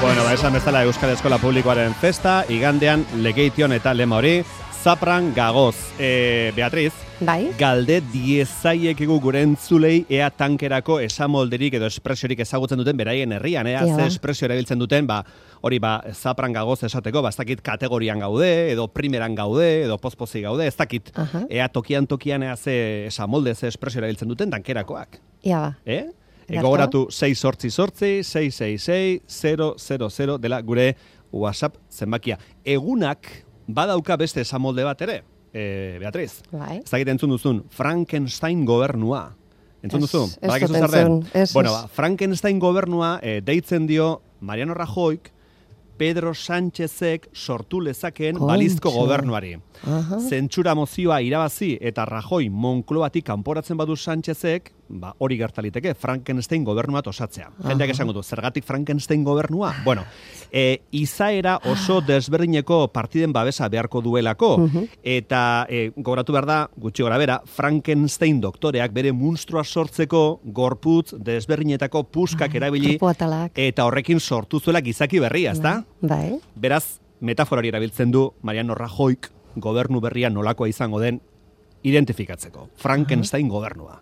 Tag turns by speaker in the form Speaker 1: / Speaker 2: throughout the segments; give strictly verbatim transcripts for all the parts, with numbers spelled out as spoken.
Speaker 1: Bueno, ba, esan bezala Euskal Eskola Publikoaren festa, igandean Legeition eta lema hori, Zapran gagoz. E, Beatriz,
Speaker 2: bai?
Speaker 1: Galde diezaiekegu gure entzulei ea tankerako esamolderik edo espresiorik ezagutzen duten beraien herrian, ea ze espresio erabiltzen duten, ba, hori ba, Zapran gagoz esateko, ba, ez dakit kategorian gaude, edo primeran gaude, edo pozpozi gaude, ez dakit, uh-huh. ea tokian tokian ea ze esamolde, ze espresio erabiltzen duten tankerakoak.
Speaker 2: Ia ba.
Speaker 1: Eh? Egoratu sei sortzi sortzi, sei sei sei, zero zero zero dela gure WhatsApp zenbakia. Egunak badauka beste esamolde bat ere, e, Beatriz.
Speaker 2: Bai.
Speaker 1: Ez dakit entzun duzun, Frankenstein gobernua. Entzun duzu?
Speaker 2: Ez, ez dut entzun. Ez,
Speaker 1: bueno, ba, Frankenstein gobernua e, deitzen dio Mariano Rajoyk Pedro Sánchezek sortu lezakeen
Speaker 2: Kontxo.
Speaker 1: balizko gobernuari.
Speaker 2: Aha.
Speaker 1: Zentsura mozioa irabazi eta Rajoy Moncloatik kanporatzen badu Sánchezek, ba, hori gertaliteke, Frankenstein gobernua osatzea. Jendeak esango du, zergatik Frankenstein gobernua? Bueno, e, izaera oso desberdineko partiden babesa beharko duelako, uh-huh. eta e, gogoratu behar da, gutxi gora bera, Frankenstein doktoreak bere munstroa sortzeko gorputz desberdinetako puskak erabili, eta horrekin sortu zuela gizaki berria, ezta?
Speaker 2: Bai.
Speaker 1: Beraz, metaforari erabiltzen du Mariano Rajoyk gobernu berria nolakoa izango den identifikatzeko. Frankenstein uh-huh. gobernua.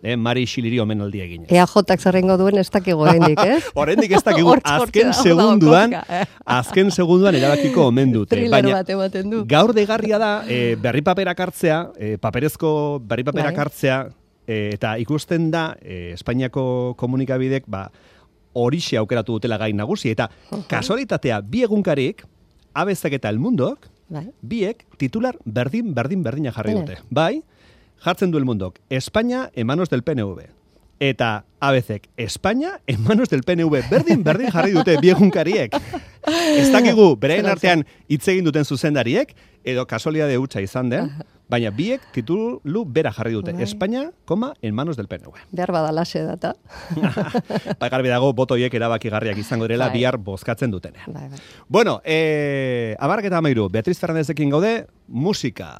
Speaker 1: Eh, Mari Xiliri omenaldi egin.
Speaker 2: E A J-ak zerrengo duen ez dakigu oraindik, ez?
Speaker 1: Oraindik ez dakigu, azken segunduan, azken segunduan erabakiko omen dute.
Speaker 2: Thriller bat ematen du.
Speaker 1: Gaur deigarria da, e, berri paperak hartzea, e, paperezko berri paperak
Speaker 2: bai.
Speaker 1: hartzea, e, eta ikusten da, e, Espainiako komunikabidek, ba, horixe aukeratu dutela gain nagusi, eta uh-huh. kasualitatea bi egunkarik, Abezak eta El Mundok, bai. biek titular berdin, berdin, berdina jarri dute. Bai, jartzen du El Mundok, España en manos del P N V. Eta Abezek, España en manos del P N V. Berdin, berdin jarri dute bi egunkariek. Ez dakigu, beraien artean hitz egin duten zuzendariek, edo kasualidade hutsa izan den, baina biek titulu bera jarri dute. Bai. España, koma, en manos del P N V.
Speaker 2: Behar badalaxe data.
Speaker 1: Ba, garbi dago, botoiek erabakigarriak izango direla bai. Bihar bozkatzen dutenean.
Speaker 2: Bai, bai.
Speaker 1: Bueno, eh, amarrak eta amairu, Beatriz Fernandezekin gaude, musika.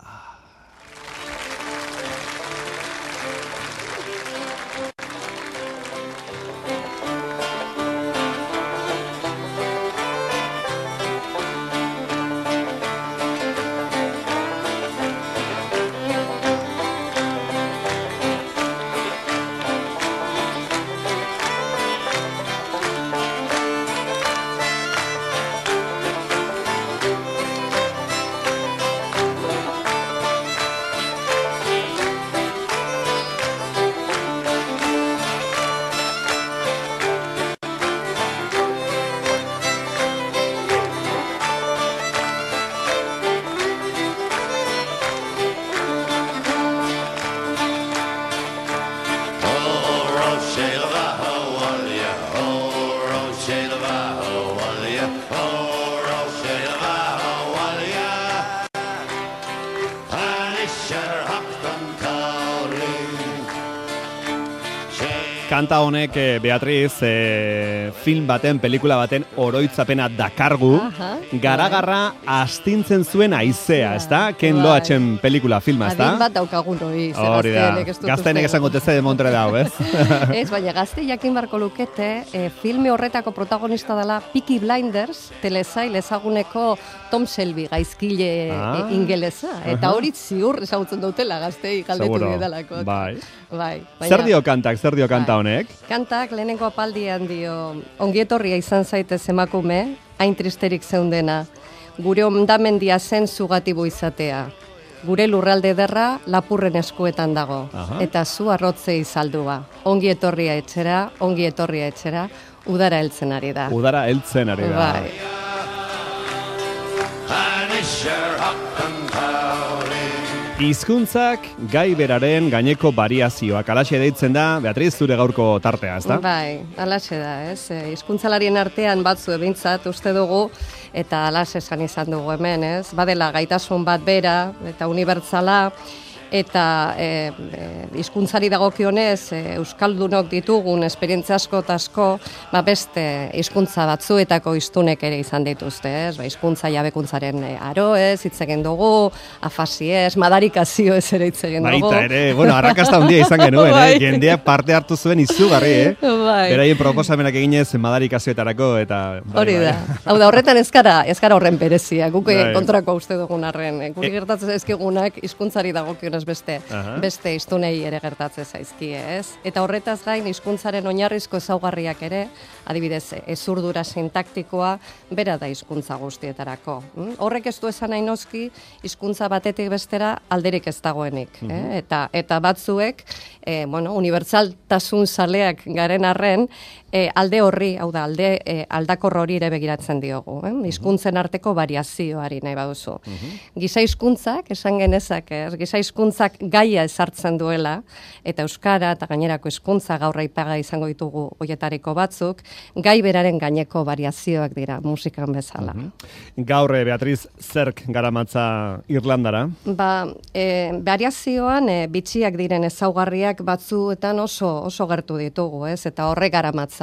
Speaker 1: Kanta honek, Beatriz, e, film baten, pelikula baten oroitzapena dakargu, garagarra astintzen zuen aizea, ezta? Ken Loachen pelikula filma, ezta?
Speaker 2: Adin bat daukagun hori, ze
Speaker 1: hori da, gaztenek esango teze de Montre dau, ez?
Speaker 2: Ez, baina gazte jakin barko lukete, e, filme horretako protagonista dela Peaky Blinders, telesail ezaguneko Tom Shelby gaizkile ah. e, ingelesa, eta hori ziur ezagutzen dutela gaztei galdetu bidalako.
Speaker 1: Bai.
Speaker 2: Bai,
Speaker 1: baina, zer dio kantak, zer dio kanta honek?
Speaker 2: Kantak lehenengo apaldian dio, ongietorria izan zaitez emakume, hain tristerik zeundena, gure ondamendia zen zugatibo izatea. Gure lurralde derra lapurren eskuetan dago, aha. eta zu arrotzei saldua. Ongi etorria etxera, ongi etorria etxera, udara heltzen ari da.
Speaker 1: Udara heltzen ari da.
Speaker 2: Bai.
Speaker 1: Hizkuntzak gai beraren gaineko variazioak. Alaxe deitzen da, Beatriz, zure gaurko tartea, ezta?
Speaker 2: Bai, alaxe da, ez. Hizkuntzalarien artean batzu ebintzat uste dugu, eta alaxe esan izan dugu hemen, ez. Badela gaitasun bat bera, eta unibertsala, eta e, e, hizkuntzari dagokionez e, euskaldunok ditugun esperientzia asko eta asko, ba beste hizkuntza batzuetako hiztunek ere izan dituzte, ez? Ba hizkuntza jabekuntzaren aroez hitz egin dugu, afasiez, madarikazioez ere hitz egin dugu.
Speaker 1: Baita ere, bueno, arrakasta handia izan genuen, eh? Jendeak parte hartu zuen izugarri, eh?
Speaker 2: Bai.
Speaker 1: Beraien proposamenak eginez madarikazioetarako eta bai,
Speaker 2: hori da.
Speaker 1: bai.
Speaker 2: Hau da, horretan ez gara, ez gara horren berezia, guk
Speaker 1: Bai.
Speaker 2: kontrako uste dugun arren. Guri gertatzen zaizkigunak hizkuntzari dagokionez beste,
Speaker 1: Aha.
Speaker 2: beste hiztunei ere gertatzen zaizkie, ez? Eta horretaz gain hizkuntzaren oinarrizko ezaugarriak ere, adibidez, ezurdura sintaktikoa bera da hizkuntza guztietarako. Mm? Horrek ez du esan nahi noski hizkuntza batetik bestera alderik ez dagoenik, eh? Eta eta batzuek, eh, bueno, unibertsaltasun zaleak garen arren, E, alde horri, hau da, alde e, aldakor hori ere begiratzen diogu, eh? Hizkuntzen arteko variazioari nahi baduzu. Giza hizkuntzak, esan genezak, ez? Giza hizkuntzak gaia ezartzen duela, eta euskara eta gainerako hizkuntza gaur aipaga izango ditugu hoietariko batzuk, gai beraren gaineko variazioak dira musikan bezala.
Speaker 1: Gaur, eh, Beatriz, zerk garamatza Irlandara?
Speaker 2: Ba, e, variazioan e, bitxiak diren ezaugarriak batzuetan oso oso gertu ditugu, ez? Eta horrek garamatza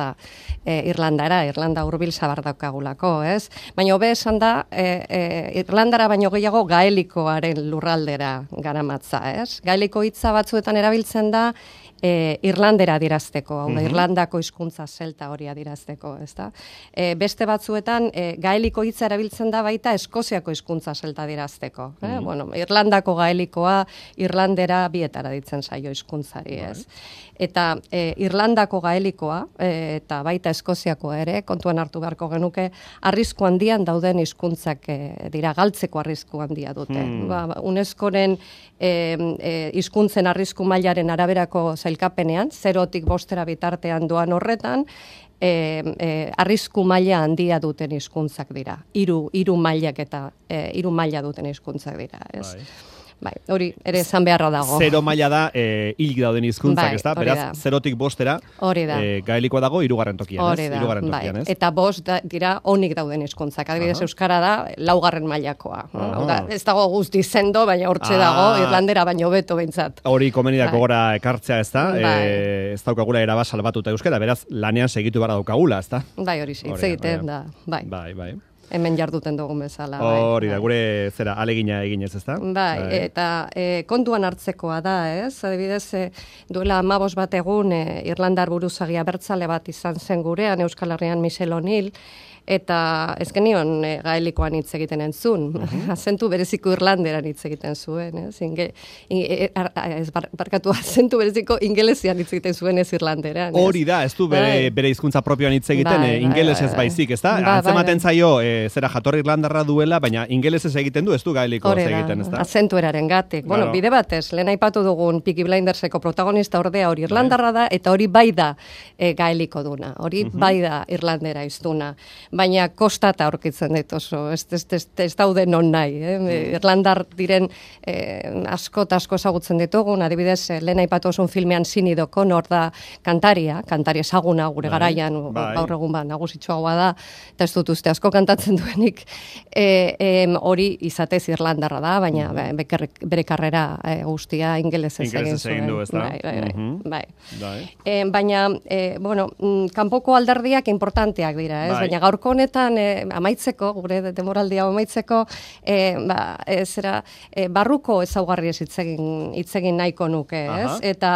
Speaker 2: e, Irlandara, Irlanda hurbil zabar daukagulako, ez? Baina hobe esan da, e, e, Irlandara baino gehiago gaelikoaren lurraldera garamatza, ez? Gaeliko hitza batzuetan erabiltzen da E, Irlandera dirazteko, hau da, Irlandako hizkuntza zelta hori adirazteko, ezta? E, beste batzuetan e, gaeliko hitza erabiltzen da baita Eskoziako hizkuntza zelta dirazteko, eh? Bueno, Irlandako gaelikoa Irlandera bietara ditzen zaio hizkuntzari, ez? Eta e, Irlandako gaelikoa e, eta baita Eskoziakoa ere kontuan hartu beharko genuke arrisku handian dauden hizkuntzak e, dira galtzeko arrisku handia dute. Hmm. Ba, UNESCOren e, e, hizkuntzen arrisku mailaren araberako zailkapenean, zerotik bostera bitartean doan horretan, e, e, arrisku maila handia duten hizkuntzak dira. Hiru hiru mailak eta e, hiru maila duten hizkuntzak dira, ez? Bai. Bai, hori ere esan beharra dago.
Speaker 1: Zero maila da e, hilik dauden hizkuntzak,
Speaker 2: Bai,
Speaker 1: ezta?
Speaker 2: hori
Speaker 1: Beraz,
Speaker 2: da.
Speaker 1: zerotik bostera
Speaker 2: Hori da.
Speaker 1: e, gaelikoa dago hirugarren tokian,
Speaker 2: Hori
Speaker 1: ez?
Speaker 2: da,
Speaker 1: Hirugarren
Speaker 2: bai.
Speaker 1: tokian, ez?
Speaker 2: Eta bost da, dira onik dauden hizkuntzak. Adibidez,
Speaker 1: Aha.
Speaker 2: euskara da laugarren mailakoa.
Speaker 1: Aha.
Speaker 2: Hau da, ez dago guzti sendo, baina hortxe
Speaker 1: Ah.
Speaker 2: dago, Irlandera baino beto behintzat.
Speaker 1: Hori komenidak
Speaker 2: Bai.
Speaker 1: gora ekartzea, ezta?
Speaker 2: Bai.
Speaker 1: E, ez daukagula erabaz salbatuta euskara, beraz, lanean segitu bara daukagula, ezta?
Speaker 2: Bai, hori hitz
Speaker 1: Hori,
Speaker 2: egiten
Speaker 1: bai.
Speaker 2: da. Bai.
Speaker 1: Bai, bai.
Speaker 2: Hemen jarduten dugun bezala. Bai.
Speaker 1: Hori da,
Speaker 2: Bai.
Speaker 1: gure zera alegina eginez, ezta?
Speaker 2: Bai, eta e, kontuan hartzekoa da, ez? Adibidez, e, duela hamabost bat egun e, Irlandar buruzagia abertzale bat izan zen gurean, Euskal Herrian Michel O'Neill, eta ez genion e, gaelikoan hitz egiten entzun. Azentu bereziko Irlanderan hitz egiten zuen, ez? Inge, inge, ar, ez bar, barkatu azentu bereziko ingelesian hitz egiten zuen ez Irlanderan. Ez?
Speaker 1: Hori da, ez du bere,
Speaker 2: Bai.
Speaker 1: bere hizkuntza propioan hitz egiten,
Speaker 2: Bai,
Speaker 1: e,
Speaker 2: bai,
Speaker 1: ingelesez
Speaker 2: bai, bai.
Speaker 1: baizik, ezta?
Speaker 2: Bai, bai,
Speaker 1: Antzematen
Speaker 2: bai.
Speaker 1: zaio, e, zera jatorri irlandarra duela, baina ingelesez egiten du, ez du gaelikoz
Speaker 2: Hori da,
Speaker 1: egiten, ezta?
Speaker 2: azentueraren gatik.
Speaker 1: Claro.
Speaker 2: Bueno, bide batez, lehen aipatu dugun Peaky Blinderseko protagonista ordea hori Irlandarra da, eta hori bai da e, gaeliko duna, hori bai da Irlandera iztuna. Baina kostata aurkitzen dit oso, ez, ez, ez, ez daude non nahi. Eh? Irlandar diren eh, asko eta asko ezagutzen ditugun, adibidez, eh, lehen aipatu osun filmean Sinead O'Connor da kantaria, kantari ezaguna gure
Speaker 1: Bai,
Speaker 2: garaian,
Speaker 1: bai.
Speaker 2: gaur egun ba, nagusitxoagoa da, eta ez dut uste asko kantatzen duenik, e, em, hori izatez Irlandarra da, baina be, beker- bere karrera e, guztia ingelesez egin
Speaker 1: Ingelesez
Speaker 2: zuen.
Speaker 1: egin du, ezta?
Speaker 2: Bai, bai, bai,
Speaker 1: Mhm.
Speaker 2: bai.
Speaker 1: Bai.
Speaker 2: E, baina, e, bueno, mm, kanpoko alderdiak importanteak dira, ez?
Speaker 1: Bai.
Speaker 2: Baina gaurko honetan e, amaitzeko, gure demoraldia amaitzeko, e, ba, e, zera, e, barruko ezaugarriez hitz egin hitz egin nahiko nuke, ez?
Speaker 1: Aha.
Speaker 2: Eta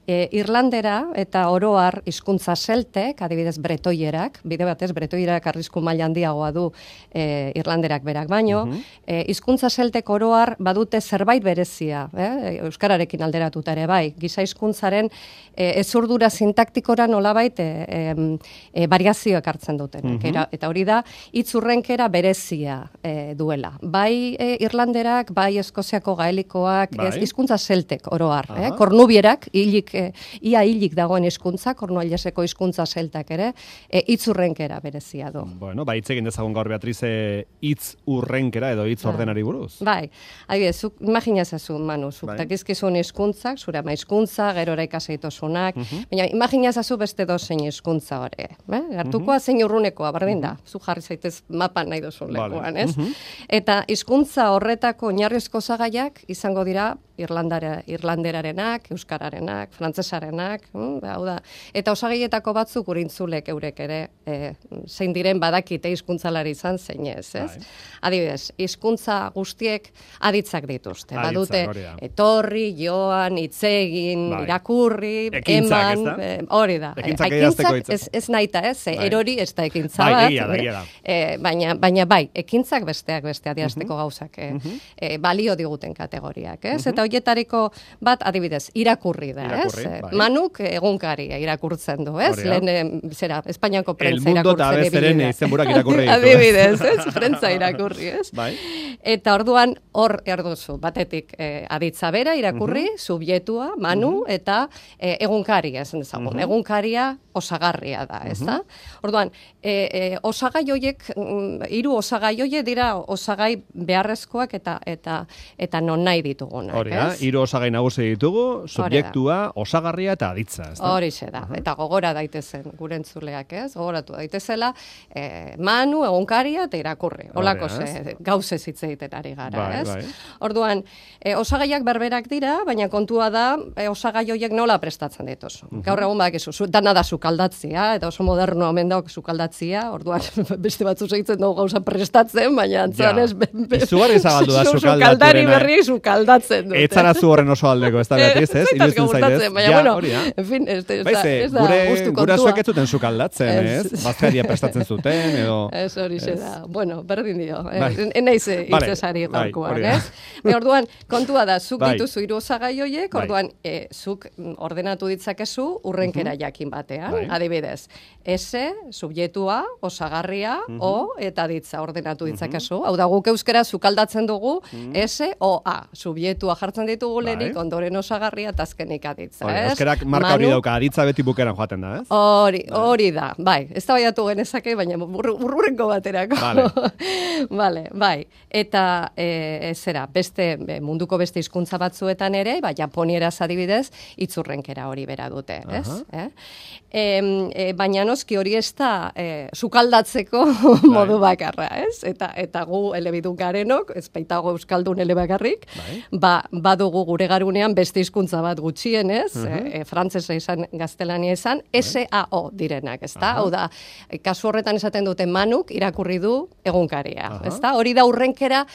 Speaker 2: e, Irlandera eta oroar hizkuntza zeltek, adibidez bretoierak, bide batez bretoierak arrisku maila handiagoa du e, Irlanderak berak baino, e, hizkuntza zeltek oroar badute zerbait berezia, eh? Euskararekin alderatuta ere bai, giza hizkuntzaren e, ezurdura sintaktikora nolabait e, e, e, variazioak hartzen dutenak. Era, eta hori da hitz urrenkera berezia e, duela. Bai e, Irlanderak, bai Eskoziako gaelikoak,
Speaker 1: Bai.
Speaker 2: ez hizkuntza zeltek oroar, eh?
Speaker 1: Aha.
Speaker 2: Kornubierak, hilik, e, ia hilik dagoen hizkuntza, kornuaileseko hizkuntza zeltak ere, e, hitz urrenkera berezia du.
Speaker 1: Bueno, ba, hitz egin dezagun gaur Beatriz e, hitz urrenkera edo hitz ordenari buruz.
Speaker 2: Bai, adibidez, zuk imagina ezazu, Manu, zuk
Speaker 1: Bai.
Speaker 2: dakizkizun hizkuntzak, zure ama hizkuntza, gerora ikaseitosunak, baina imagina ezazu beste dozein hizkuntza hori. Eh? Hartukoa zein urrunekoa, berdin da, zu jarri zaitez mapan nahi duzun
Speaker 1: Vale.
Speaker 2: lekuan, ez? Eta hizkuntza horretako oinarrizko osagaiak izango dira irlandara, irlanderarenak, euskararenak, frantsesarenak, mm, hau da. Eta osagaietako batzuk urintzulek eurek ere, e, zein diren badakite hizkuntzalari izan zein ez, ez? Bai. Adibidez, hizkuntza guztiek aditzak dituzte.
Speaker 1: Aditzak,
Speaker 2: badute etorri, joan, hitzegin,
Speaker 1: bai.
Speaker 2: irakurri,
Speaker 1: ekintzak,
Speaker 2: eman, e, hori da.
Speaker 1: Ekintzak,
Speaker 2: ekintzak ez, ez naita, ez? Bai. Erori ez da ekintza
Speaker 1: bai,
Speaker 2: bat.
Speaker 1: Egia da, egia da.
Speaker 2: E, baina, baina bai, ekintzak besteak beste adierazteko uh -huh. gauzak e, uh -huh. e, balio diguten kategoriak, ez? Uh -huh. Eta horietariko bat adibidez, irakurri da,
Speaker 1: irakurri,
Speaker 2: ez?
Speaker 1: Bai.
Speaker 2: Manuk egunkaria irakurtzen du, ez?
Speaker 1: Oria.
Speaker 2: Lehen, zera, Espainiako prentza
Speaker 1: irakurtzen. El mundo eta bezeren izenburak irakurri ditu.
Speaker 2: Adibidez, ez? Prentza irakurri, ez?
Speaker 1: Bai.
Speaker 2: Eta orduan hor erduzu, batetik e, aditza bera irakurri, uh -huh. subjetua, manu, uh -huh. eta e, egunkaria, esan dezagun. Uh -huh. Egunkaria osagarria da, ez da? Uh -huh. Orduan, e, e, osagai hoiek, hiru osagai hoiek dira osagai beharrezkoak eta eta eta non nahi ditugunak,
Speaker 1: Hori da, hiru osagai nagusi ditugu, subjektua, osagarria eta aditza, ez da?
Speaker 2: Horixe da, uh -huh. eta gogora daitezen gure entzuleak, ez? Gogoratu daitezela, e, manu, egunkaria eta irakurri. Holako ze gauzez hitz egiten ari gara,
Speaker 1: bai,
Speaker 2: ez?
Speaker 1: Bai.
Speaker 2: Orduan, e, osagaiak berberak dira, baina kontua da e, osagai horiek nola prestatzen dituzu. Uh -huh. Gaur egun badakizu, dana da sukaldatzia, eta oso moderno omen dauk sukaldatzia, orduan beste batzu segitzen dugu gauza prestatzen, baina antzan ez...
Speaker 1: Izugarri zabaldu da sukaldatu.
Speaker 2: Sukaldari berri sukaldatzen dute.
Speaker 1: Etzara zu horren oso aldeko, ez da beatiz, ez?
Speaker 2: Iruditzen zaitez. Baina, bueno, en fin, ez da
Speaker 1: gure gurasoak ez zuten sukaldatzen, ez? Bazkaria prestatzen zuten, edo...
Speaker 2: Ez hori xe da. Bueno, berdin dio. Enaiz hitzesari gaurkoan, ez? Orduan, kontua da, zuk dituzu hiru osagai horiek, orduan, zuk ordenatu ditzakezu urrenkera jakin batean, adibidez. S, subjetua, osagarria, O, eta ditza ordenatu ditzakezu. Hau da, guk euskera sukaldatzen dugu, S, O, A. Subjetua jartzen ditugu lehenik, ondoren osagarria, eta azkenik aditza, ez?
Speaker 1: Euskerak marka hori dauka, aditza beti bukeran joaten da, ez?
Speaker 2: Hori, hori da, bai. Ez da baiatu genezake, baina burrurenko baterako. Vale, bai. Eta, zera, beste, munduko beste hizkuntza batzuetan ere, bai, japonieraz adibidez, itzurrenkera hori bera dute, ez? Baina noski hori ez da sukaldatzeko modu bakarra, ez? Eta eta gu elebidun garenok, ez baitago euskaldun elebakarrik, ba, badugu gure garunean beste hizkuntza bat gutxienez, frantsesa izan, gaztelania izan, S A O direnak, ezta? Hau da, kasu horretan esaten dute manuk irakurri du egunkaria, ezta? Hori da urrenkera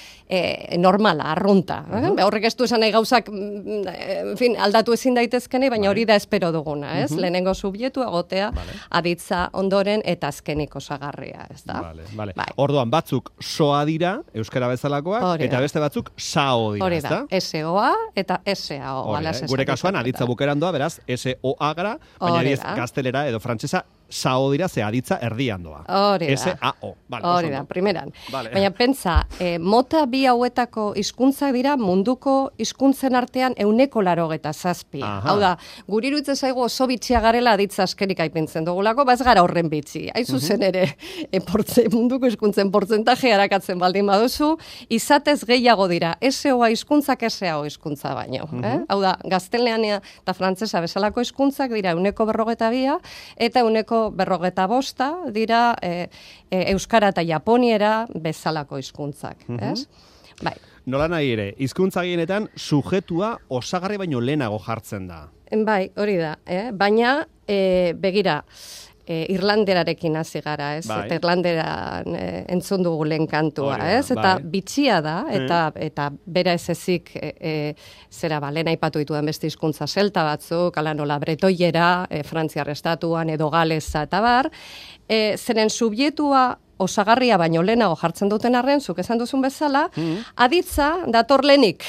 Speaker 2: normala, arrunta. Horrek ez du esan nahi gauzak, en fin, aldatu ezin daitezkene, baina hori da espero duguna, ez? Lehenengo subjektu egotea, aditza ondoren eta azkenik osagarria, ez da?
Speaker 1: Vale, vale. Bai. Orduan, batzuk soa dira, euskara bezalakoak, eta beste batzuk sao dira, ez da?
Speaker 2: Hori da, S O A eta S A O.
Speaker 1: Gure kasuan, aditza bukeran doa, beraz, S O A gara, baina diez gaztelera edo frantsesa sao dira, ze aditza erdian doa.
Speaker 2: Hori da.
Speaker 1: S A O. Vale,
Speaker 2: hori da, primeran. Vale. Baina pentsa, eh, mota bi hauetako hizkuntzak dira munduko hizkuntzen artean euneko larogeta zazpi. Hau da, guri iruditzen zaigu oso bitxia garela aditza askerik aipintzen dugulako, baz gara horren bitxi. Hain zuzen ere, e, portze, munduko hizkuntzen portzentaje harakatzen baldin baduzu, izatez gehiago dira, S O A hizkuntzak S A O hizkuntza baino. eh? Hau da, gaztelania eta frantsesa bezalako hizkuntzak dira euneko berrogeta bia, eta euneko berrogeta bosta dira e, e, euskara eta japoniera bezalako hizkuntzak, ez? Bai.
Speaker 1: Nola nahi ere, hizkuntza gehienetan sujetua osagarri baino lehenago jartzen da.
Speaker 2: Bai, hori da, eh? Baina e, begira, E, irlanderarekin hasi gara, ez?
Speaker 1: Bai.
Speaker 2: Eta irlanderan e, entzun dugu lehen kantua,
Speaker 1: Orida,
Speaker 2: ez? Eta
Speaker 1: bai.
Speaker 2: bitxia da, eta eta bera ez ezik, e, e, zera ba, lehen aipatu ditudan beste hizkuntza selta batzuk, ala nola bretoiera, e, Frantziar estatuan edo galeza eta bar, e, zeren subjektua osagarria baino lehenago jartzen duten arren, zuk esan duzun bezala, mm. aditza dator lehenik.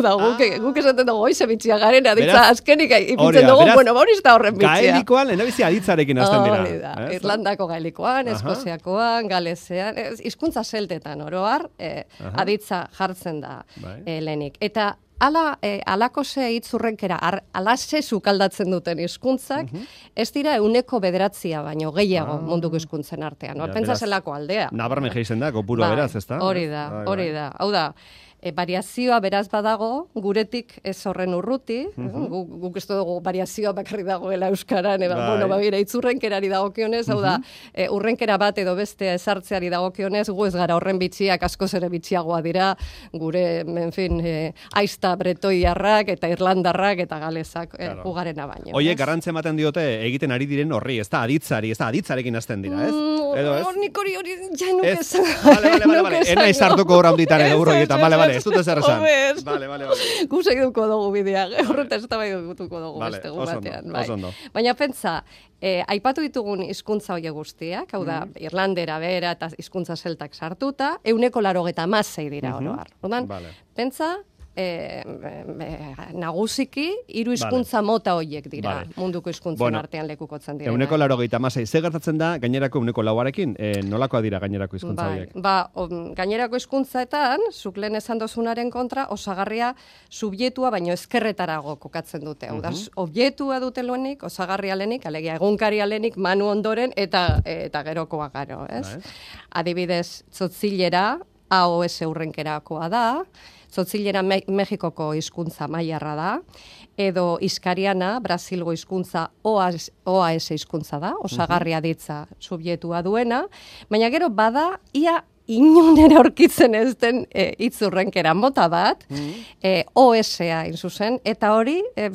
Speaker 2: da, guk, ah. guk esaten dugu, oize bitxia garen, aditza beraz, azkenik ipintzen dugu, beraz, bueno, hori ez da horren bitxia.
Speaker 1: Gaelikoan, lehenabizi aditzarekin hasten dira.
Speaker 2: Hori da, eh? Irlandako gaelikoan, Eskoziakoan, Galezean, hizkuntza seltetan oroar, eh, aditza jartzen da eh, lehenik. Eta Ala, eh, alako ze hitzurrenkera, alase sukaldatzen duten hizkuntzak, uh -huh. ez dira euneko bederatzia, baino gehiago ah. munduko hizkuntzen artean. Hor, pentsa zelako aldea.
Speaker 1: Nabarmen geizen da, kopuro
Speaker 2: bai,
Speaker 1: beraz, ez da?
Speaker 2: Hori da, hori da. Hau da, E, variazioa beraz badago, guretik ez horren urruti,
Speaker 1: Mhm.
Speaker 2: guk, guk ez dugu variazioa bakarri dagoela euskaran, eba,
Speaker 1: Bai.
Speaker 2: bueno, babira, itzurrenkerari dagokionez, hau da, e, urrenkera bat edo bestea ezartzeari dagokionez, gu ez gara horren bitxiak, askoz ere bitxiagoa dira, gure, en fin, e, aizta bretoiarrak eta irlandarrak eta galezak, e,
Speaker 1: Claro.
Speaker 2: ugarena baino.
Speaker 1: Oie,
Speaker 2: ez?
Speaker 1: garrantze ematen diote egiten ari diren horri, ez da aditzari, ez da aditzarekin hasten dira, ez?
Speaker 2: Mm,
Speaker 1: Edo ez?
Speaker 2: hor nik hori hori, ja nuke
Speaker 1: Ez,
Speaker 2: esan.
Speaker 1: vale, vale, vale, vale. Ena izartuko hor handitan edo urroietan, vale, vale, ez dut ezer esan.
Speaker 2: Homez.
Speaker 1: Vale, vale, vale.
Speaker 2: Gu segituko dugu bidea, horreta ez da bai dutuko dugu
Speaker 1: Vale,
Speaker 2: beste gu
Speaker 1: oso ondo,
Speaker 2: batean. Bai.
Speaker 1: oso ondo.
Speaker 2: Baina pentsa, eh, aipatu ditugun hizkuntza hoie guztiak, hau da, irlandera, bera eta hizkuntza zeltak sartuta, euneko larogeta masei dira oro har. Orduan,
Speaker 1: Vale.
Speaker 2: pentsa, eh, eh, nagusiki, hiru hizkuntza mota hoiek dira,
Speaker 1: Vale.
Speaker 2: munduko hizkuntzen
Speaker 1: Bueno,
Speaker 2: artean lekukotzen dira.
Speaker 1: Euneko laurogeita hamasei. Ze gertatzen da gainerako euneko lauarekin? E, nolakoa dira gainerako hizkuntza
Speaker 2: Bai,
Speaker 1: horiek?
Speaker 2: ba, on, gainerako hizkuntzaetan, zuk lehen esan dozunaren kontra, osagarria subjetua baino ezkerretarago kokatzen dute. Hau da, objektua dute lehenik, osagarria lehenik, alegia egunkaria lehenik, manu ondoren, eta eta gerokoa garo, ez?
Speaker 1: Bai.
Speaker 2: Adibidez, tzotzilera, A O S urrenkerakoa da, tzotzilera Me Mexikoko hizkuntza mailarra da, edo iskariana, Brasilgo hizkuntza O A S hizkuntza da, osagarria ditza subjektua duena, baina gero bada ia inunera aurkitzen ez den e, itzurrenkera mota bat, e, O S-a in zuzen, eta hori e,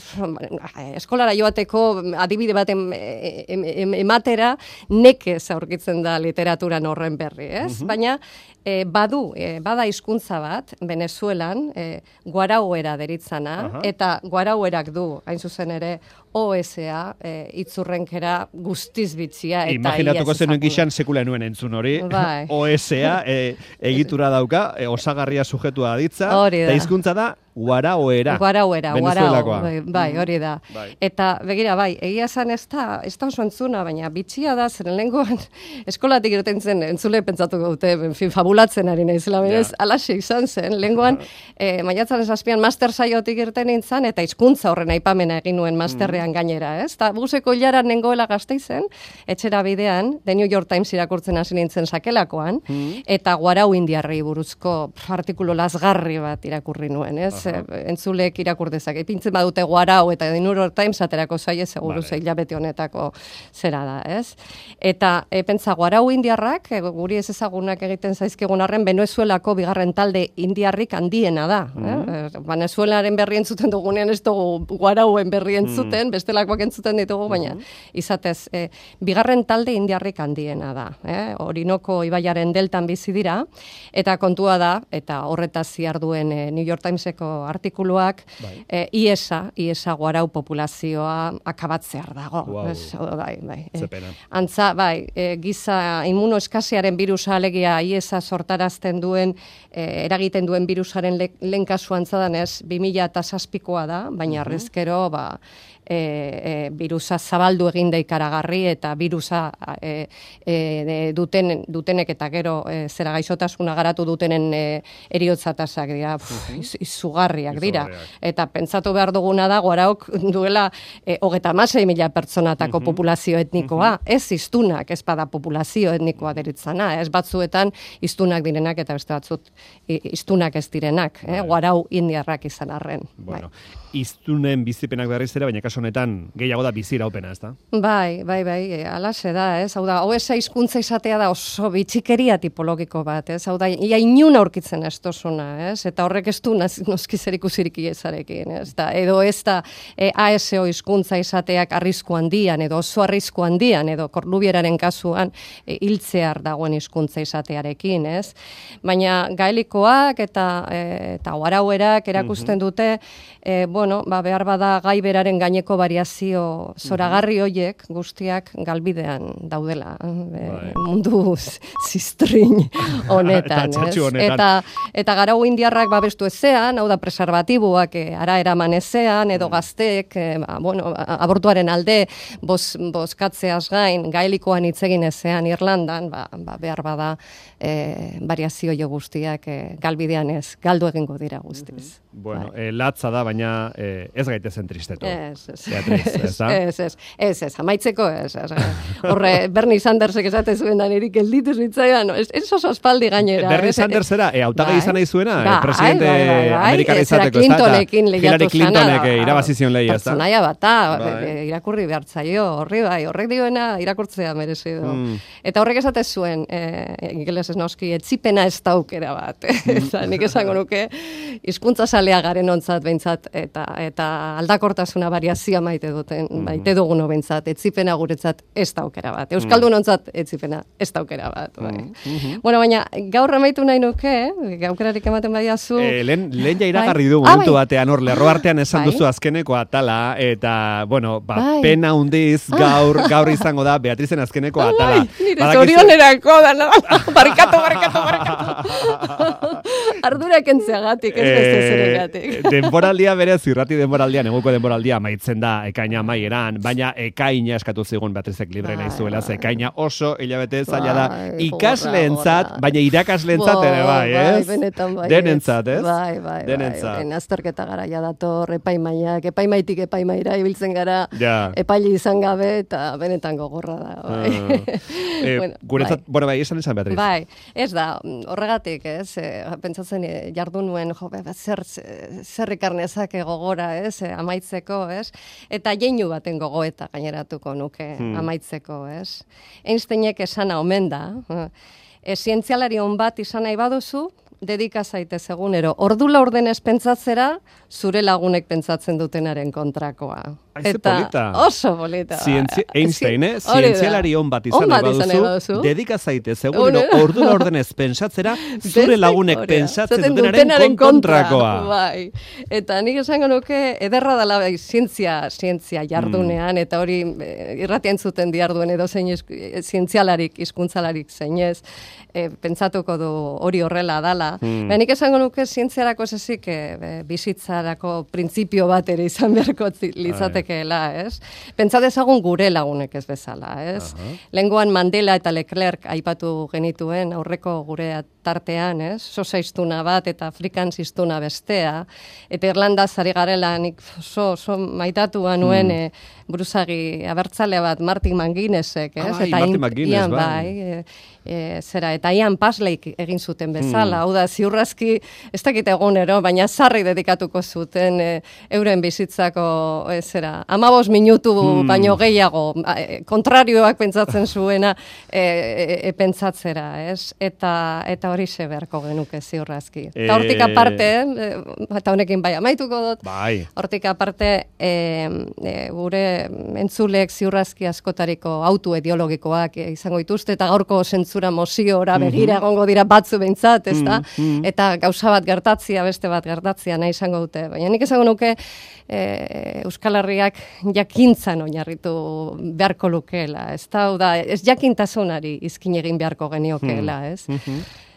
Speaker 2: eskolara joateko adibide bat em, em, em, ematera nekez aurkitzen da literaturan horren berri, ez? Baina e, badu, e, bada hizkuntza bat, Venezuelan, e, guarauera deritzana,
Speaker 1: Aha.
Speaker 2: eta guarauerak du, hain zuzen ere, O S-a e, itzurrenkera guztiz bitzia. Eta
Speaker 1: Imaginatuko
Speaker 2: iaz
Speaker 1: zenuen
Speaker 2: ezaguna.
Speaker 1: gixan sekula nuen entzun hori.
Speaker 2: Bai.
Speaker 1: O S-a e, egitura dauka, e, osagarria sujetua aditza,
Speaker 2: Hori da.
Speaker 1: eta hizkuntza da guaraoera.
Speaker 2: Guarauera,
Speaker 1: Venezuelakoa.
Speaker 2: guarau, bai, bai, hori da.
Speaker 1: Bai.
Speaker 2: Eta begira, bai, egia esan ez da, ez da oso entzuna, baina bitxia da, zeren lehengoan eskolatik irten zen, entzule pentsatuko dute, en fin, fabulatzen ari naizela, berez,
Speaker 1: Ja.
Speaker 2: alaxe izan zen, lehengoan, eh, maiatzaren zazpian master saiotik irten nintzen, eta hizkuntza horren aipamena egin nuen masterrean gainera, ez? Ta buseko hilaran nengoela Gasteizen, etxera bidean, The New York Times irakurtzen hasi nintzen sakelakoan, eta guarau indiarrei buruzko pf, artikulu lazgarri bat irakurri nuen, ez? E, entzulek irakur dezake. Ipintzen badute guarau eta The New York Times aterako zaie seguru
Speaker 1: Vale.
Speaker 2: ze hilabete honetako zera da, ez? Eta e, pentsa guarau indiarrak, e, guri ez ezagunak egiten zaizkigun arren, Venezuelako bigarren talde indiarrik handiena da. eh? E, Venezuelaren berri entzuten dugunean ez dugu guarauen berri entzuten, bestelakoak entzuten ditugu, baina izatez, e, bigarren talde indiarrik handiena da. Eh? Orinoko ibaiaren deltan bizi dira, eta kontua da, eta horretaz ziarduen e, New York Timeseko artikuluak,
Speaker 1: Bai.
Speaker 2: e, iesa, iesa guarau populazioa akabatzear dago.
Speaker 1: Guau.
Speaker 2: Ez, bai, bai.
Speaker 1: Ze
Speaker 2: E,
Speaker 1: pena.
Speaker 2: Antza, bai, e, giza immunoeskasiaren birusa alegia iesa sortarazten duen, e, eragiten duen birusaren le, lehen kasu antzadan ez, bi mila zazpikoa da, baina arrezkero, ba, e, e, birusa zabaldu egin da ikaragarri eta birusa e, e, duten, dutenek eta gero e, zera gaixotasuna garatu dutenen e, eriotzatasak dira, pf, iz- izugarriak dira.
Speaker 1: Izugarriak.
Speaker 2: Eta pentsatu behar duguna da, guaraok duela e, hogeta hamasei mila pertsonatako populazio etnikoa, ez hiztunak, ez bada populazio etnikoa deritzana, ez batzuetan hiztunak direnak eta beste batzut i- hiztunak ez direnak, eh? Guarau indiarrak izan arren.
Speaker 1: Bueno, iztunen bizipenak berriz ere, baina kasu honetan gehiago da biziraupena, ez da?
Speaker 2: Bai, bai, bai, e, alaxe da, ez? Hau da, O S hizkuntza izatea da oso bitxikeria tipologiko bat, ez? Hau da, ia inun aurkitzen ez dozuna, ez? Eta horrek ez du naz- noski zer ikusirik iezarekin, ez? Da, edo ez da e, A S O hizkuntza izateak arrisku handian, edo oso arrisku handian, edo korlubieraren kasuan e, hiltzear dagoen hizkuntza izatearekin, ez? Baina gaelikoak eta e, eta guarauerak erakusten dute, e, bueno, ba, behar bada gai beraren gaineko variazio zoragarri hoiek guztiak galbidean daudela, e,
Speaker 1: Bai.
Speaker 2: mundu z- zistrin honetan,
Speaker 1: Eta txatxu
Speaker 2: ez?
Speaker 1: honetan.
Speaker 2: Eta, eta garau indiarrak babestu ezean, hau da preservatiboak e, ara eraman ezean, edo gazteek, e, ba, bueno, a- abortuaren alde boz, bozkatzeaz gain, gaelikoan hitz egin ezean Irlandan, ba, ba, behar bada e, variazio jo guztiak e, galbidean ez, galdu egingo dira guztiz.
Speaker 1: Bueno,
Speaker 2: bai.
Speaker 1: eh, latza da, baina eh, ez gaitezen tristetu.
Speaker 2: Ez, ez.
Speaker 1: Beatriz, ez da?
Speaker 2: Ez, ez, ez, ez, amaitzeko ez. ez. Horre, Bernie Sandersek esate zuen da nirik elditu zitzaidan, ez, ez oso aspaldi gainera.
Speaker 1: Bernie
Speaker 2: ez,
Speaker 1: Sanders era, e, hautagai
Speaker 2: bai,
Speaker 1: izan nahi zuena,
Speaker 2: bai,
Speaker 1: eh, presidente
Speaker 2: bai, bai, bai,
Speaker 1: amerikar
Speaker 2: ez, zera
Speaker 1: izateko, ez da?
Speaker 2: Clintonekin lehiatu
Speaker 1: Hillary Clintonek
Speaker 2: zana,
Speaker 1: eh, irabazizion lehi, ez da?
Speaker 2: Pertsonaia bata,
Speaker 1: Bai.
Speaker 2: irakurri behartzaio, horri bai, horrek dioena irakurtzea merezi du.
Speaker 1: Mm.
Speaker 2: Eta horrek esate zuen, eh, ingeles ez noski, etzipena ez da aukera bat. Eta nik esango nuke, hizkuntza zalea garen ontzat behintzat, eta eta aldakortasuna variazioa maite duten, maite dugun behintzat, etzipena guretzat ez da aukera bat. Euskaldun ontzat etzipena ez da aukera bat. Bai. Bueno, baina gaur amaitu nahi nuke, aukerarik ematen badiazu.
Speaker 1: Eh, lehen, lehen ja iragarri
Speaker 2: Bai.
Speaker 1: du
Speaker 2: Ah,
Speaker 1: momentu
Speaker 2: bai.
Speaker 1: batean, hor, lerro artean esan
Speaker 2: Bai.
Speaker 1: duzu azkeneko atala, eta, bueno, ba,
Speaker 2: Bai.
Speaker 1: pena hundiz gaur, gaur izango da Beatrizen azkeneko atala.
Speaker 2: Bai, nire
Speaker 1: Badakizu-
Speaker 2: zorionerako da, no? barkatu, barkatu, barkatu. Ardura kentzeagatik, ez beste zeregatik.
Speaker 1: denboraldia berez, irrati denboraldia, neguko denboraldia amaitzen da ekaina amaieran, baina ekaina eskatu zigun Beatrizek libre nahi zuela, ze ekaina oso hilabete zaila da,
Speaker 2: Bai,
Speaker 1: ikasleentzat,
Speaker 2: gogorra.
Speaker 1: baina irakaslentzat ere bai, ez?
Speaker 2: Bai, benetan bai.
Speaker 1: Denentzat, ez?
Speaker 2: Bai, bai,
Speaker 1: Denentzat.
Speaker 2: bai. Azterketa garaia dator, epaimaiak, epaimaitik epaimaira ibiltzen gara,
Speaker 1: Ja.
Speaker 2: epaile izan gabe, eta benetan gogorra da, bai.
Speaker 1: Eh,
Speaker 2: Bueno,
Speaker 1: guretzat,
Speaker 2: bai.
Speaker 1: bueno, bai, esan esan Beatriz.
Speaker 2: Bai, ez da, horregatik, ez, e, pentsatzen e, jardun nuen, jo, be, zer, zer ikarnezake gogora, ez, e, amaitzeko, ez, eta jeinu baten gogoeta gaineratuko nuke
Speaker 1: Hmm.
Speaker 2: amaitzeko, ez. Einsteinek esana omen da, e, zientzialari on bat izan nahi baduzu, dedika zaitez egunero, ordula ordenez pentsatzera, zure lagunek pentsatzen dutenaren kontrakoa.
Speaker 1: Ai, ze polita.
Speaker 2: Oso polita.
Speaker 1: Zientzi Einstein, eh?
Speaker 2: Zi- hori da.
Speaker 1: Zientzialari on bat izan
Speaker 2: On
Speaker 1: nahi
Speaker 2: bat izan nahi
Speaker 1: baduzu,
Speaker 2: baduzu.
Speaker 1: dedika zaitez egunero
Speaker 2: Egunero.
Speaker 1: ordula ordenez pentsatzera, zure
Speaker 2: Beste
Speaker 1: lagunek
Speaker 2: korea.
Speaker 1: pentsatzen
Speaker 2: Zaten
Speaker 1: dutenaren kontrakoa.
Speaker 2: Bai. Eta nik esango nuke ederra dela bai, zientzia, zientzia jardunean,
Speaker 1: Mm.
Speaker 2: eta hori e, irratia entzuten diarduen edo zein esku- e, zientzialarik, hizkuntzalarik zeinez, e, pentsatuko du hori horrela dala.
Speaker 1: Mm.
Speaker 2: Baina nik esango nuke zientziarako ez ezik e, e, bizitzarako printzipio bat ere izan beharko zi- litzatekeela, ez? Pentsa dezagun gure lagunek ez bezala, ez? Lengoan Mandela eta Leclerc aipatu genituen aurreko gure tartean, ez? Sosa hiztuna bat eta Afrikans hiztuna bestea. Eta Irlandaz ari garela nik oso, oso maitatua nuen e, buruzagi abertzale bat Martin McGuinnessek, ez?
Speaker 1: Ah, bai,
Speaker 2: eta
Speaker 1: Martin
Speaker 2: in-
Speaker 1: McGuinness,
Speaker 2: Ian,
Speaker 1: bai.
Speaker 2: e, e, zera, eta Ian Pasleyk egin zuten bezala, hau da, ziurrazki, ez dakit egunero, baina sarri dedikatuko zuten e, euren bizitzako, e, zera, amabos minutu baino gehiago, e, kontrarioak pentsatzen zuena e, e, e, pentsatzera, ez? Eta, eta hori beharko genuke ziurrazki. Eta hortik aparte, e, eta honekin bai amaituko dut,
Speaker 1: Bai.
Speaker 2: hortik aparte, e, e, gure entzulek ziurrazki askotariko auto ideologikoak e, izango dituzte, eta gaurko zentzura moziora begira egongo dira batzu behintzat, ez da? Eta gauza bat gertatzia, beste bat gertatzia nahi izango dute. Baina nik esango nuke e, Euskal Herriak jakintzan oinarritu beharko lukeela, ez da? Hau da, ez jakintasunari izkin egin beharko geniokeela, ez?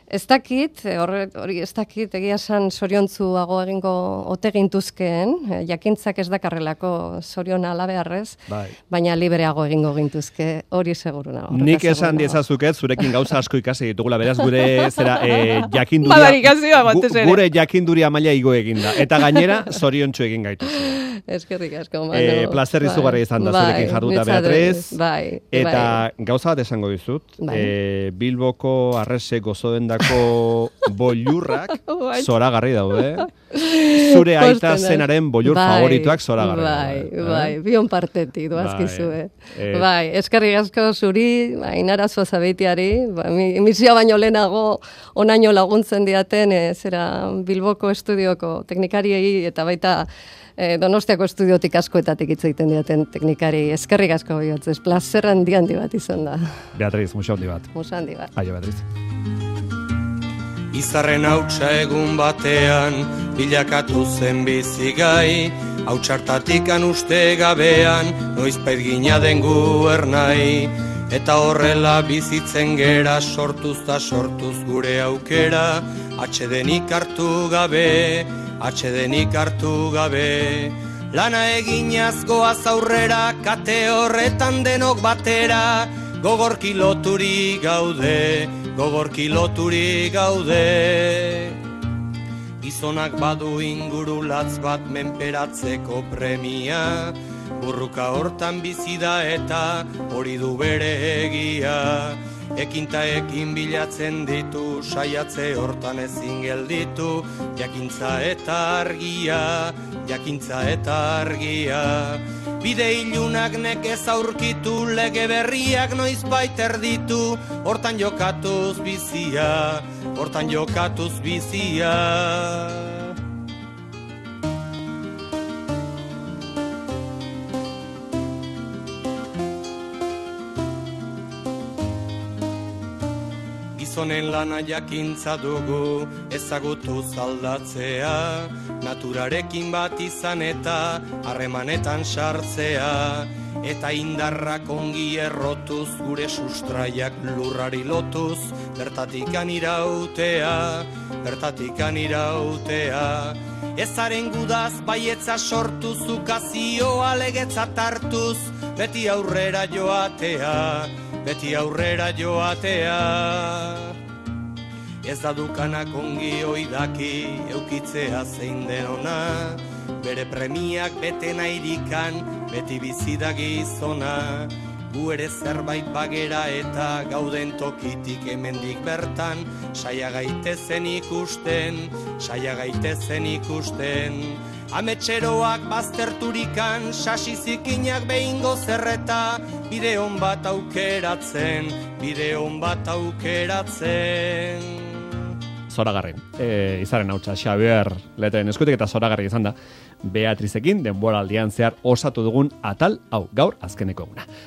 Speaker 2: Ez dakit, hori, hori ez dakit, egia esan zoriontzuago egingo ote gintuzkeen, eh, jakintzak ez dakarrelako zorion alabearrez,
Speaker 1: Bai.
Speaker 2: baina libreago egingo gintuzke, hori seguru nago.
Speaker 1: Nik
Speaker 2: horretaz
Speaker 1: esan
Speaker 2: seguru nago.
Speaker 1: diezazuket, zurekin gauza asko ikasi ditugula, beraz gure zera e, jakinduria,
Speaker 2: Madarikazioa batez
Speaker 1: gu-
Speaker 2: ere.
Speaker 1: gure jakinduria maila igo eginda. Eta gainera, zoriontsu egin gaitu.
Speaker 2: Eskerrik asko, Manu.
Speaker 1: E, plazer izugarri izan da zurekin jarduta,
Speaker 2: nitzat-
Speaker 1: Beatriz.
Speaker 2: Bai,
Speaker 1: Eta
Speaker 2: bai.
Speaker 1: gauza bat esango dizut,
Speaker 2: Bai.
Speaker 1: e, Bilboko arrese gozodendako bollurrak
Speaker 2: Bai.
Speaker 1: zoragarri daude. Zure aita
Speaker 2: Pozten naiz.
Speaker 1: zenaren bollur
Speaker 2: Bai,
Speaker 1: favorituak zoragarri
Speaker 2: Bai,
Speaker 1: daude.
Speaker 2: bai, bion partetik doazkizu,
Speaker 1: Bai.
Speaker 2: eh.
Speaker 1: Eh.
Speaker 2: Bai, eskerrik asko zuri, Ainara Zuazabeitiari, ba, mi- misioa baino lehenago onaino laguntzen diaten, eh, zera Bilboko estudioko teknikariei eta baita eh, Donostiako estudiotik askoetatik hitz egiten diaten teknikari. Eskerrik asko bihotzez, plazer handi handi bat izan da.
Speaker 1: Beatriz, musa handi bat.
Speaker 2: Musa handi bat.
Speaker 1: Aio, Beatriz.
Speaker 3: Izarren hautsa egun batean, bilakatu zen bizigai, hautsartatikan uste gabean, noizpait gina den guernai. Eta horrela bizitzen gera, sortuz ta sortuz gure aukera, atxedenik hartu gabe, atxedenik hartu gabe. Lana eginaz goaz aurrera, kate horretan denok batera, gogorki loturi gaude, gogorki loturi gaude. Gizonak badu inguru latz bat menperatzeko premia, burruka hortan bizi da eta hori du bere egia. Ekinta ekin bilatzen ditu, saiatze hortan ezin gelditu, jakintza eta argia, jakintza eta argia. Bide ilunak nekez aurkitu, lege berriak noizbait erditu, hortan jokatuz bizia, hortan jokatuz bizia. Gizonen lana jakintza dugu, ezagutu zaldatzea, naturarekin bat izan eta harremanetan sartzea, eta indarrak ongi errotuz, gure sustraiak lurrari lotuz, bertatikan irautea, bertatikan irautea. Ezaren gudaz baietza sortuz, ukazioa legetzat hartuz, beti aurrera joatea, beti aurrera joatea. Ez da dukanak ongi oidaki, eukitzea zein denona, bere premiak bete nairikan, beti bizida gizona. Gu ere zerbait bagera eta gauden tokitik hemendik bertan, saia gaitezen ikusten, saia gaitezen ikusten. Ametxeroak bazterturikan, sasi zikinak behingo zerreta, bide hon bat aukeratzen, bide hon bat aukeratzen.
Speaker 1: Zoragarri, e, izaren hautsa Xabier Leteren eskutik eta zoragarri izan da Beatrizekin denboraldian zehar osatu dugun atal hau gaur azkeneko eguna.